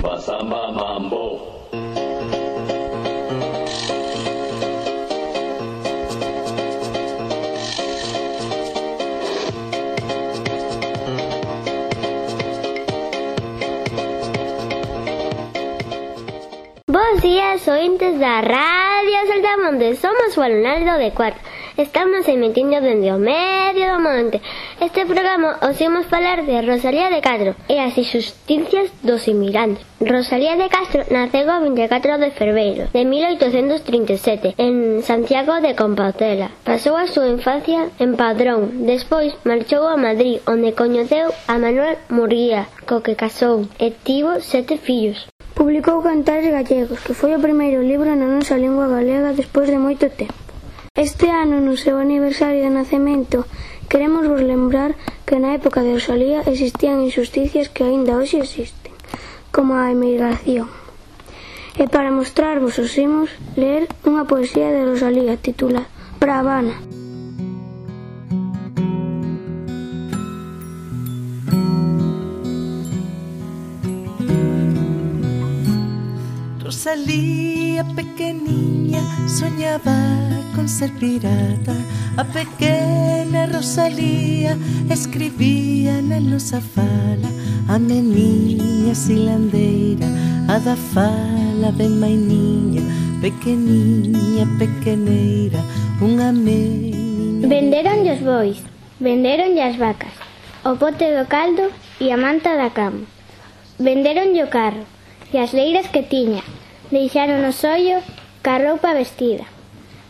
rumba, samba, mambo. Bos días, ointes da Radio Saltamonte. Somos o alumnado de cuarto. Estamos emitindo dende o medio do monte. Este programa os imos falar de Rosalía de Castro e as injusticias dos inmigrantes. Rosalía de Castro naceu o 24 de febreiro de 1837 en Santiago de Compostela. Pasou a súa infancia en Padrón. Despois marchou a Madrid, onde coñeceu a Manuel Murguía, co que casou e tivo 7 fillos. Publicou Cantares Gallegos, que foi o primeiro libro na nosa lingua galega despois de moito tempo. Este ano, no seu aniversario de nacemento, queremos vos lembrar que na época de Rosalía existían injusticias que aínda hoxe existen, como a emigración. E para mostrarvos os imos ler unha poesía de Rosalía titulada Pra Habana. Rosalía pequeniña soñaba con ser pirata. A pequena Rosalía escribía na nosa fala. A meniña silandeira, a da fala ben mainiña, pequeniña, pequeneira, unha meniña. Venderonlle os bois, venderonlle as vacas, o pote do caldo e a manta da cama. Venderonlle o carro e as leiras que tiña. Deixaron o sollo ca roupa vestida.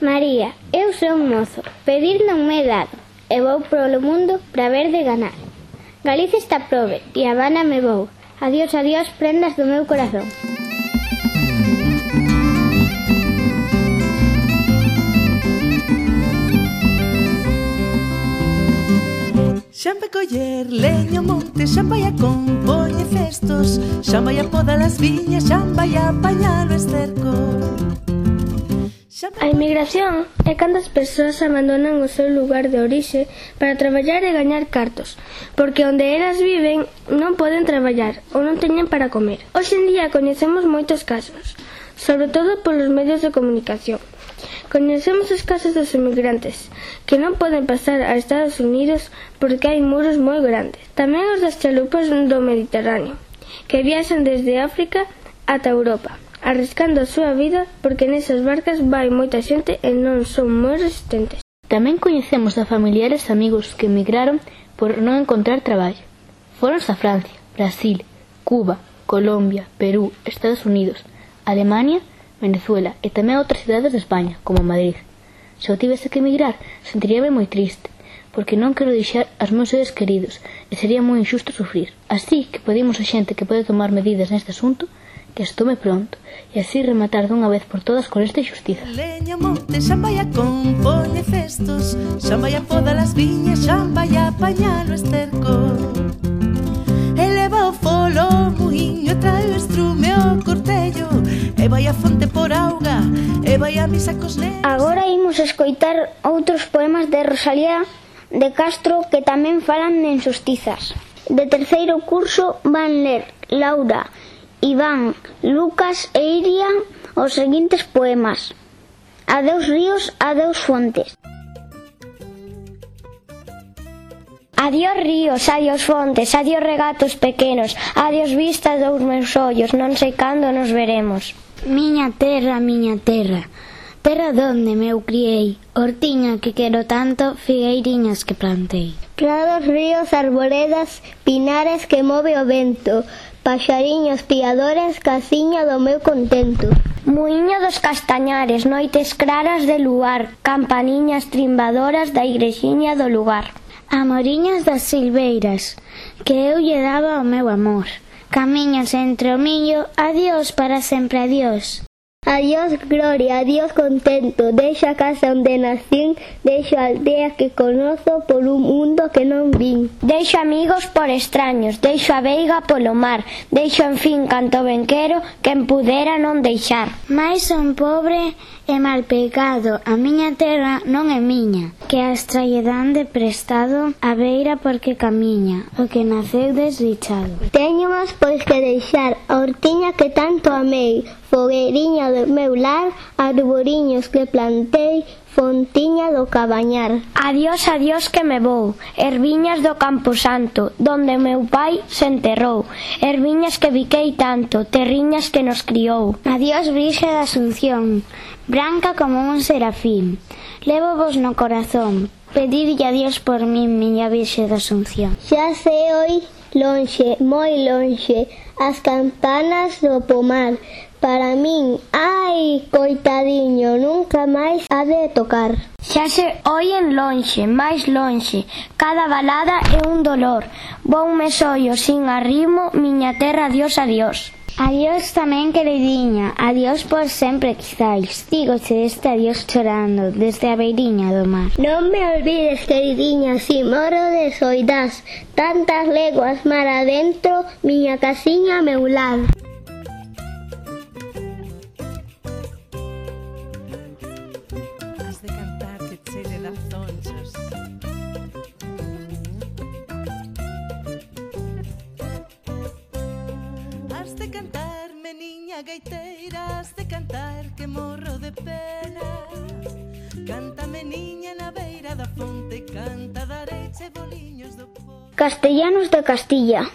María, eu sou un mozo, pedir non me he dado, e vou polo mundo pra ver de ganar. Galicia está probe, e a Habana me vou. Adiós, adiós, prendas do meu corazón. Xa vai coller leño monte, xa vai a compoñer cestos, xa vai a podar as viñas, xa vai a apañar o esterco. A inmigración é cando as persoas abandonan o seu lugar de orixe para traballar e gañar cartos, porque onde elas viven non poden traballar ou non teñen para comer. Hoxe en día coñecemos moitos casos, sobre todo polos medios de comunicación. Coñecemos os casos dos inmigrantes que non poden pasar a Estados Unidos porque hai muros moi grandes. Tamén os das chalupas do Mediterráneo, que viaxan desde África ata Europa, arriscando a súa vida porque nesas barcas vai moita xente e non son moi resistentes. Tamén coñecemos a familiares e amigos que emigraron por non encontrar traballo. Foronse a Francia, Brasil, Cuba, Colombia, Perú, Estados Unidos, Alemania, Venezuela e tamén outras cidades de España, como Madrid. Se eu tivese que emigrar, sentiríame moi triste, porque non quero deixar aos meus seres queridos e sería moi injusto sufrir. Así que pedimos a xente que pode tomar medidas neste asunto que as tome pronto e así rematar dunha vez por todas con esta injustiza. Leña monte, xa vai a compoñer cestos, xa vai a podar as viñas, xa vai a apañar o esterco. Eleva o folo muiño, trae o estrume o cortello, e vai a fonte por auga, e vai a misa cos nenos. Agora imos escoitar outros poemas de Rosalía de Castro que tamén falan de injustizas. De terceiro curso van ler Laura, Iván, Lucas e Iria os seguintes poemas: Adeus ríos, adeus fontes. Adiós ríos, adiós fontes, adiós regatos pequenos, adiós vistas dos meus ollos, non sei cando nos veremos. Miña terra, terra donde meu criei, hortiña que quero tanto, figueiriñas que plantei. Prados, ríos, arboredas, pinares que move o vento, paxariños piadores, casiña do meu contento. Muiño dos castañares, noites claras de luar, campaniñas trimbadoras da igrexiña do lugar. Amoriñas das silveiras, que eu lle daba o meu amor. Camiños entre o millo, adiós para sempre adiós. Adiós gloria, adiós contento, deixo a casa onde nacín, deixo a aldea que conozo por un mundo que non vin. Deixo amigos por extraños, deixo a veiga polo mar, deixo en fin canto ben quero, quen pudera non deixar. Mais son pobre e mal pecado, a miña terra non é miña, que as traellan de prestado a beira porque camiña, o que naceu desdichado. Teño máis pois que deixar a hortiña que tanto amei, fogueiriña do meu lar, arboriños que plantei, fontiña do cabañar. Adiós, adiós que me vou, erviñas do Campo Santo, donde meu pai se enterrou, erviñas que biquei tanto, terriñas que nos criou. Adiós Virxe da Asunción, branca como un serafín, levo vos no corazón, pedidlle a Dios por min, miña Virxe da Asunción. Xa se oi lonxe, moi lonxe, as campanas do pomar. Para min, ai, coitadiño, nunca máis ha de tocar. Xa se oien lonxe, máis lonxe, cada balada é un dolor. Voume sollo sin arrimo, miña terra, adiós, adiós. Adiós tamén, queridinha, adiós por sempre quizáis, dígoche este adiós chorando, desde a beiriña do mar. Non me olvides, queridinha, si moro de soidás, tantas leguas mar adentro, miña casiña, meu lar. Has de cantar que chele das zonchas. Has de cantar, meniña gaiteira, has de cantar que morro de pena. Canta, meniña, na beira da fonte, canta, dareiche boliños do po. Castellanos de Castilla.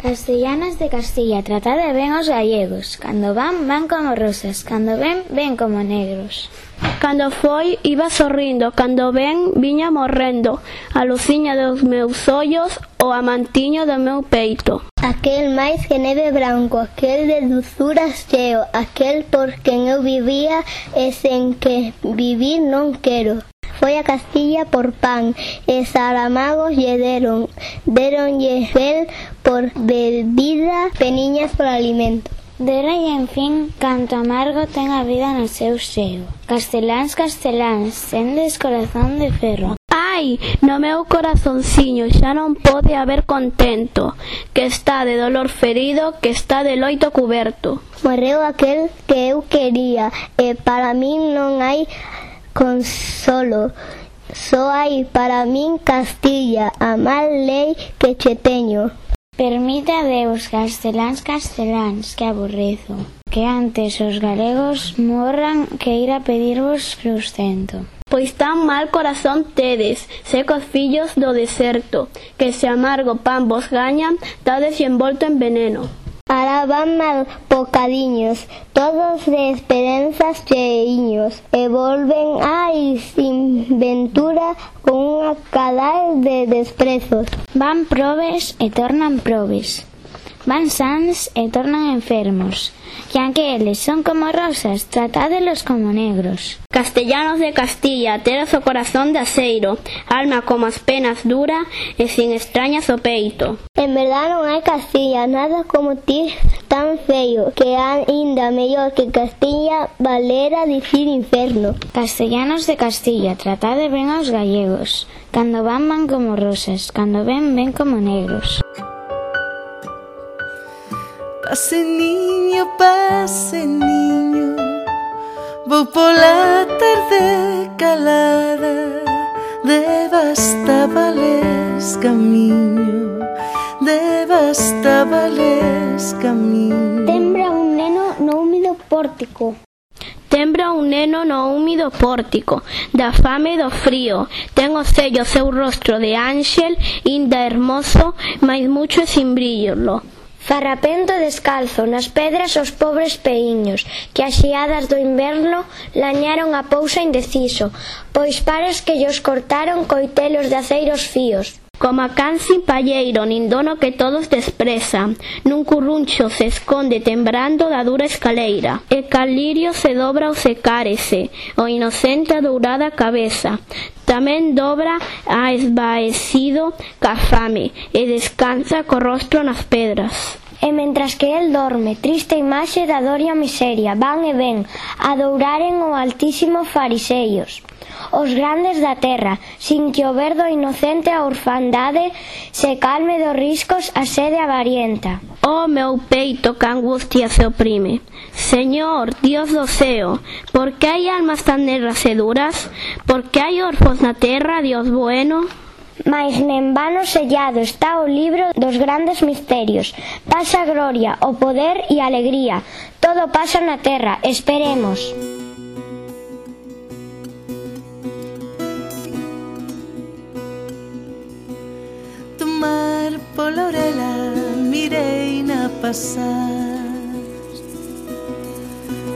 Castellanas de Castilla, tratade ben os gallegos, cando van, van como rosas, cando ven, ven como negros. Cando foi, iba sorrindo, cando ven, viña morrendo, a luciña dos meus ollos, o amantiño do meu peito. Aquel máis que neve branco, aquel de dulzuras cheo, aquel por quen eu vivía e sen que vivir non quero. Foi a Castilla por pan, e Saramagos lle deronlle fel por bebida, peniñas por alimento. Deronlle, en fin, canto amargo ten a vida no seu seo. Casteláns, casteláns, tendes corazón de ferro. Ai, no meu corazonciño xa non pode haber contento, que está de dolor ferido, que está de loito cuberto. Morreu aquel que eu quería, e para min non hai consolo, só hai para min Castilla, a mal lei que che teño. Permite a Deus, casteláns, casteláns, que aborrezo, que antes os galegos morran que ir a pedirvos sustento. Pois tan mal corazón tedes, secos fillos do deserto, que se amargo pan vos gañan, dades envolto en veneno. Ara van mal bocadiños, todos de esperanzas cheiños, e volven ai sin ventura con unha cadal de desprezos. Van probes e tornan probes, van sans e tornan enfermos, que aunque eles son como rosas, tratádelos como negros. Castellanos de Castilla, tedes o corazón de aceiro, alma como as penas dura e sin extrañas o peito. En verdad non hai Castilla, nada como ti tan feio, que ainda mellor que Castilla valera dicir inferno. Castellanos de Castilla, tratade ben aos gallegos, cando van van como rosas, cando ven ven como negros. Pase niño, vou pola tarde calada, de Bastabales camiño, de Bastabales camiño. Tembra un neno no húmido pórtico. Tembra un neno no húmido pórtico, da fame e do frío, ten o sello seu rostro de ángel, inda hermoso, mais mucho e sin brillo. Farrapento descalzo, nas pedras os pobres peíños, que as xeadas do inverno lañaron a pousa indeciso, pois pares que llos cortaron coitelos de aceiros fíos. Como a can sin palleiro, nin dono que todos desprezan, nun curruncho se esconde tembrando da dura escaleira, e cal lirio se dobra ou se cárese, o inocente a dourada cabeza, tamén dobra a esvaecido ca fame, e descansa co rostro nas pedras. E mentras que el dorme, triste imaxe da dor e a miseria, van e ven, adouraren o altísimo fariseos, os grandes da terra, sin que o verdo inocente a orfandade se calme dos riscos a sede avarienta. Oh meu peito que angustia se oprime, Señor, Dios do ceo, por que hai almas tan negras e duras? Por que hai orfos na terra, Dios bueno? Mais nen vano sellado está o libro dos grandes misterios. Pasa a gloria, o poder e a alegría. Todo pasa na terra, esperemos. Tomar pola orela, mireina pasar,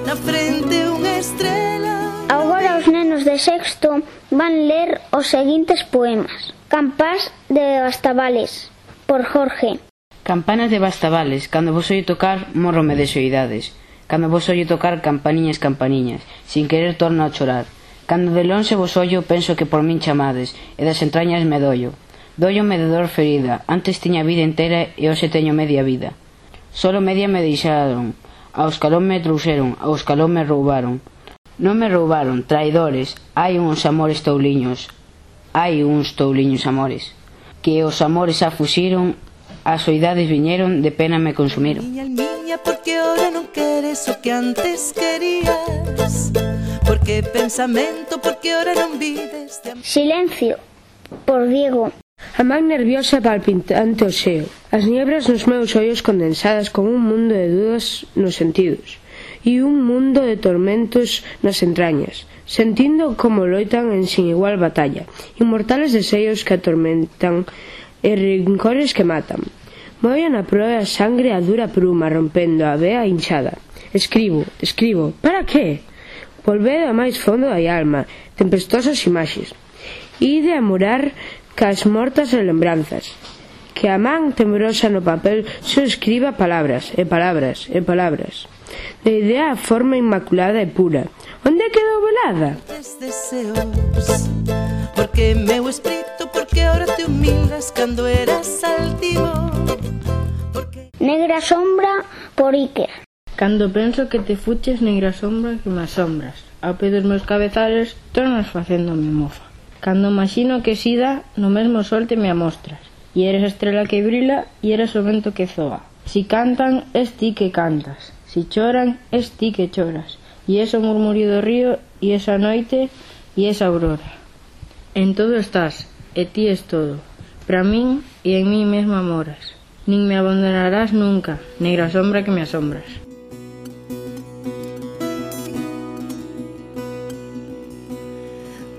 na frente unha estrela. Agora os nenos de sexto van ler os seguintes poemas. Campás de Bastavales, por Jorge. Campanas de Bastavales, cando vos oio tocar, mórrome de soidades. Cando vos oio tocar campaniñas, campaniñas, sin querer torno a chorar. Cando de lonxe vos oio, penso que por min chamades, e das entrañas me doio. Doiome de dor ferida, antes tiña vida entera e hoxe teño media vida. Solo media me deixaron, ao escalón me trouxeron, ao escalón me roubaron. Non me roubaron, traidores, hai uns amores touliños. Hai uns touliños amores, que os amores xa fuxiron, as soidades viñeron, de pena me consumiron. Miña, porque ora non queres o que antes querías, porque pensamento, porque ora non vives de... Silencio, por Diego. A man nerviosa palpitante o xeo, as niebras nos meus ollos condensadas con un mundo de dudas nos sentidos e un mundo de tormentos nas entrañas, sentindo como loitan en sin igual batalla, inmortales deseios que atormentan e rincores que matan. Moen a proa a sangre a dura pruma rompendo a vea hinchada. Escribo, para que? Volved a máis fondo da alma, tempestosas imaxes. Ide a morar cas mortas e lembranzas. Que a man temorosa no papel só escriba palabras e palabras e palabras. De idea a forma inmaculada e pura. Onde quedou velada? Deseos, porque meu espírito, porque ahora te humildas cando eras altivo. Porque... Negra sombra, por Iker. Cando penso que te fuches, negra sombra que me asombras, ao pé dos meus cabezales tornas facéndome mofa. Cando imagino que sida, no mesmo sol te me amostras, e eres a estrela que brila, e eres o vento que zoa. Si cantan, es ti que cantas, si choran, es ti que choras, e ese murmurio do río, e esa noite, e esa aurora. En todo estás, e ti es todo, para min e en mí mesma moras. Nin me abandonarás nunca, negra sombra que me asombras.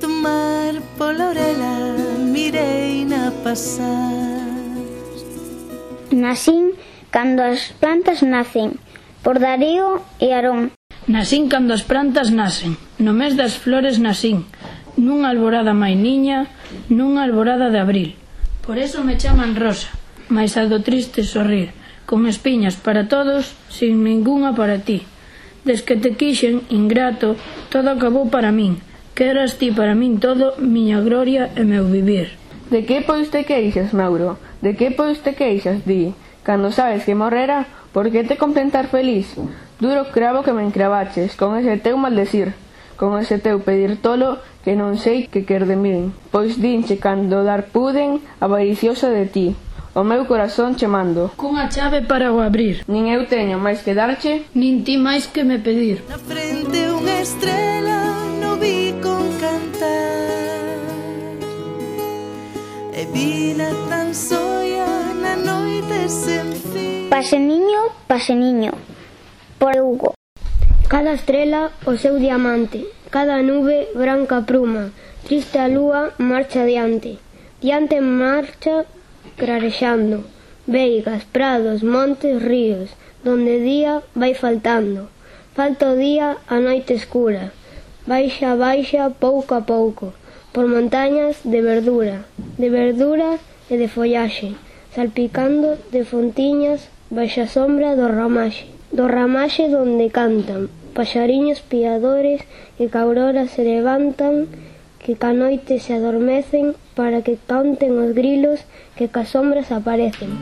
Tomar pola orela, mireina pasar. Nacín cando as plantas nacen, por Darío e Aarón. Nacín cando as plantas nacen, no mes das flores nacín, nunha alborada mainiña, nunha alborada de abril. Por eso me chaman Rosa, mais a do triste sorrir, con espiñas para todos, sin ningunha para ti. Des que te quixen, ingrato, todo acabou para min, que eras ti para min todo, miña gloria e meu vivir. De que pois te queixas, Mauro? De que pois te queixas, di? Cando sabes que morrera, por que te contentar feliz? Duro cravo que me encravaches, con ese teu maldecir, con ese teu pedir tolo, que non sei que quer de min. Pois dinche cando dar puden, avariciosa de ti, o meu corazón che mando. Cunha chave para o abrir. Nin eu teño máis que darche, nin ti máis que me pedir. Na frente unha estrela no vi con cantar, e vila tan soia na noite sen fin. Paseniño, por Hugo. Cada estrela o seu diamante, cada nube branca pruma, triste a lúa marcha diante marcha clarexando, veigas, prados, montes, ríos, donde día vai faltando, falta o día a noite escura, baixa pouco a pouco, por montañas de verdura e de follaxe, salpicando de fontiñas baixa sombra do ramaxe donde cantan paxariños piadores que ca aurora se levantan, que ca noite se adormecen para que canten os grilos que ca sombras aparecen.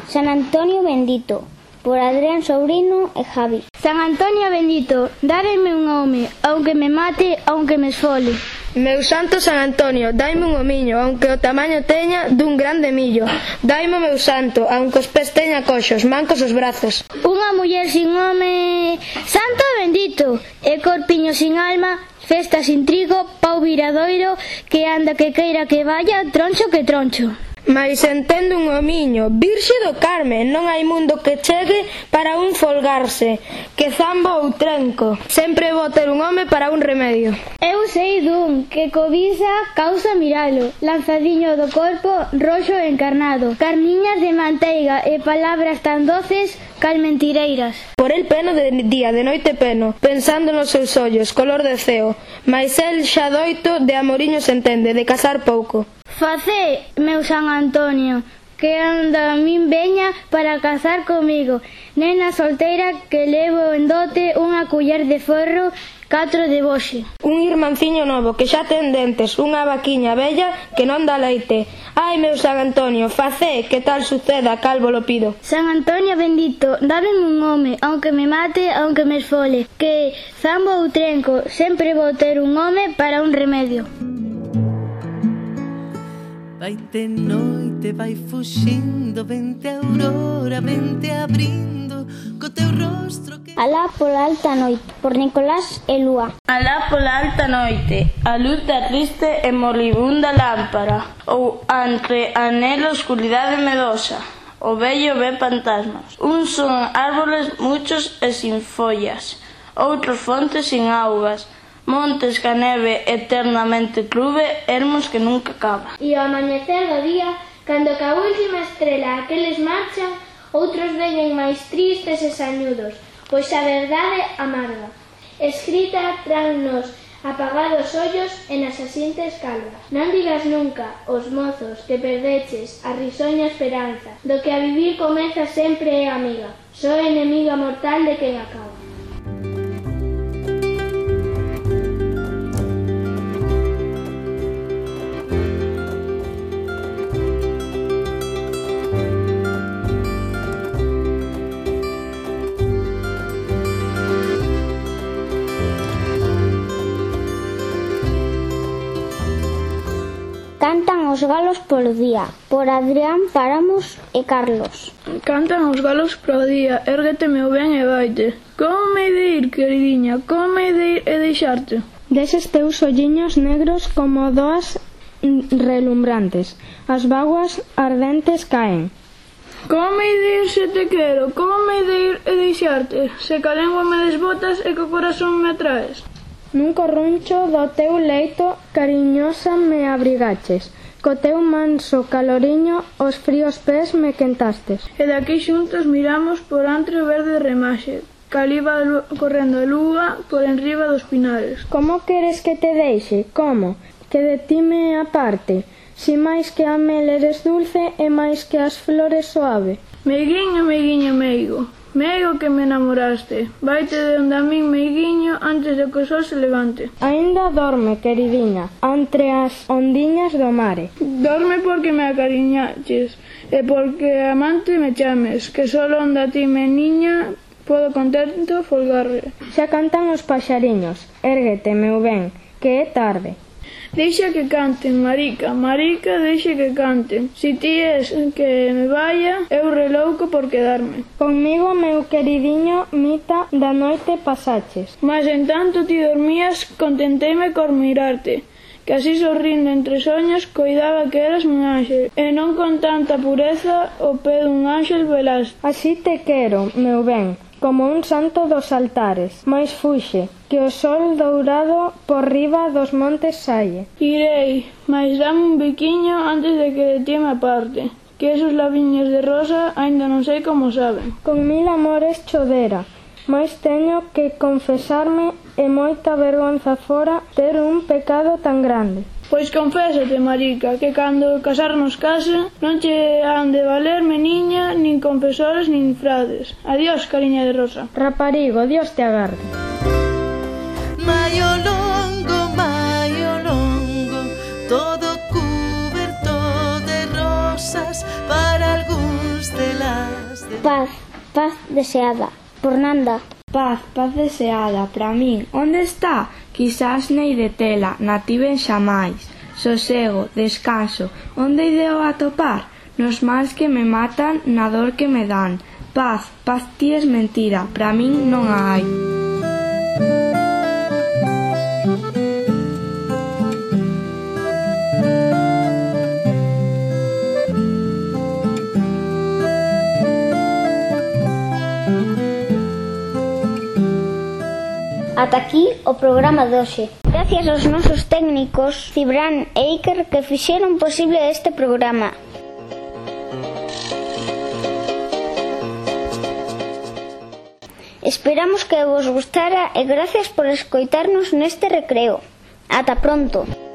San Antonio bendito, por Adrián Sobrino e Javi. San Antonio bendito, dáreme un home, aunque me mate, aunque me esfole. Meu santo San Antonio, daime un homiño, aunque o tamaño teña dun grande millo. Daime o meu santo, aunque os pés teña coxos, mancos os brazos. Unha muller sin home, santo bendito, e corpiño sin alma, festa sin trigo, pau viradoiro, que anda que queira que vaya, troncho que troncho. Mais entendo un homiño, Virxe do Carme, non hai mundo que chegue para un folgarse, que zambo ou trenco, sempre vou ter un home para un remedio. Eu sei dun, que cobiza causa miralo, lanzadiño do corpo, roxo encarnado, carniñas de manteiga e palabras tan doces cal mentireiras. Por el peno de día, de noite peno, pensando nos seus ollos, color de ceo, mais el xa doito de amoriños entende, de casar pouco. Facé, meu San Antonio, que anda a min veña para casar comigo, nena solteira que levo en dote unha culler de forro, 4 de boxe. Un irmanciño novo que xa ten dentes, unha vaquiña bella que non dá leite. Ai, meu San Antonio, facé que tal suceda, calvo lo pido. San Antonio bendito, dame un home, aunque me mate, aunque me esfole, que zambo ou trenco, sempre vou ter un home para un remedio. Vaite noite, vai fuxindo, vente a aurora, vente abrindo, co teu rostro que... Alá pola alta noite, por Nicolás e Lúa. Alá pola alta noite, a luz da triste e moribunda lámpara, ou entre anela oscuridade medosa, o vello ve fantasmas. Uns son árboles muchos e sin follas, outros fontes sin augas, montes ca neve eternamente clube, ermos que nunca acaba. E ao amanecer do día, cando ca última estrela aqueles marchan, outros veñen máis tristes e sañudos, pois a verdade amarga, escrita tras nos apagados ollos e nas asientes calvas. Non digas nunca, os mozos, que perdeches a risoña esperanza, do que a vivir comeza sempre é amiga, só enemiga mortal de quen acaba. Cantan os galos polo día, por Adrián Páramos e Carlos. Cantan os galos polo día, érguete meu ben e vaite. Como me de ir, queridiña, como me de ir e deixarte? Deses teus olliños negros como doas relumbrantes, as vaguas ardentes caen. Como me de ir se te quero, como me de ir e deixarte, se ca lengua me desbotas e co corazón me atraes. Nun corruncho do teu leito cariñosa me abrigaches, co teu manso caloriño os fríos pés me quentastes. E daqui xuntos miramos por entre o verde remaxe, caliba correndo a lúa por enriba dos pinares. Como queres que te deixe? Como? Que de ti me aparte, si máis que a mel eres dulce e máis que as flores suave. Meiguiño, meiguiño, meigo, meigo que me enamoraste, vaite de onde a min meiguiño antes de que o sol se levante. Ainda dorme, queridiña, entre as ondiñas do mare. Dorme porque me acariñaches e porque amante me chames, que solo onde a ti me niña podo contento folgarre. Xa cantan os paxariños, érguete, meu ben, que é tarde. Deixa que canten, marica, marica, deixa que canten. Si ti es que me vaya, eu relouco por quedarme. Conmigo, meu queridiño, mita da noite pasaches. Mas en tanto ti dormías, contenteime cor mirarte, que así sorrindo entre soños coidaba que eras un ángel, e non con tanta pureza o pé dun ángel velaste. Así te quero, meu ben, como un santo dos altares, mais fuxe, que o sol dourado por riba dos montes saie. Irei, mais dame un biquiño antes de que de ti me aparte, que esos labiños de rosa aínda non sei como saben. Con mil amores chodera, mais teño que confesarme e moita vergonza fora ter un pecado tan grande. Pois confésate, marica, que cando casarnos casa non che han de valer meniña, nin confesores, nin frades. Adiós, cariña de rosa. Raparigo, Dios te agarde. Maio longo, todo cuberto de rosas, para algúns delas. Paz, paz deseada. Por Nanda. Paz, paz deseada, para min. Onde está? Quizás nei de tela, nativen xamais. Sosego, descanso, onde ideo atopar? Nos mals que me matan, na dor que me dan. Paz, paz ti es mentira, para min non a hai. Ata aquí o programa de hoxe. Gracias aos nosos técnicos Cibran e Iker que fixeron posible este programa. Esperamos que vos gustara e gracias por escoitarnos neste recreo. Ata pronto.